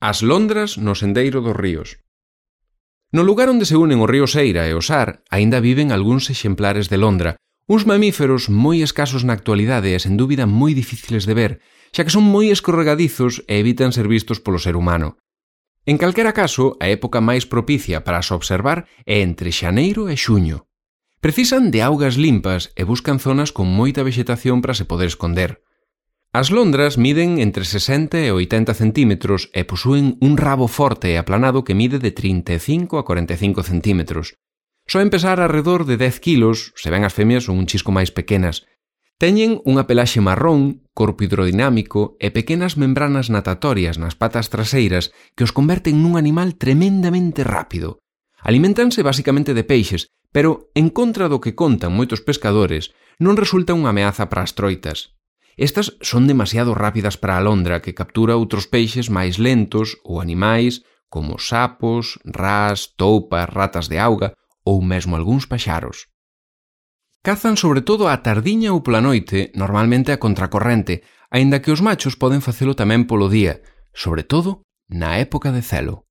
As londras no sendeiro dos ríos. No lugar onde se unen o río Seira e o Sar, aínda viven algúns exemplares de londra, uns mamíferos moi escasos na actualidade e sen dúbida moi difíciles de ver, xa que son moi escorregadizos e evitan ser vistos polo ser humano. En calquera caso, a época máis propicia para as observar é entre xaneiro e xuño. Precisan de augas limpas e buscan zonas con moita vexetación para se poder esconder. As londras miden entre 60 e 80 centímetros e posúen un rabo forte e aplanado que mide de 35 a 45 centímetros. Soen pesar alrededor de 10 kilos, se ben as femias son un chisco máis pequenas. Teñen unha pelaxe marrón, corpo hidrodinámico e pequenas membranas natatorias nas patas traseiras que os converten nun animal tremendamente rápido. Aliméntanse basicamente de peixes, pero, en contra do que contan moitos pescadores, non resulta unha ameaza para as troitas. Estas son demasiado rápidas para a londra que captura outros peixes máis lentos ou animais como sapos, rás, toupas, ratas de auga ou mesmo algúns paxaros. Cazan sobre todo á tardiña ou pola noite, normalmente a contracorrente, aínda que os machos poden facelo tamén polo día, sobre todo na época de celo.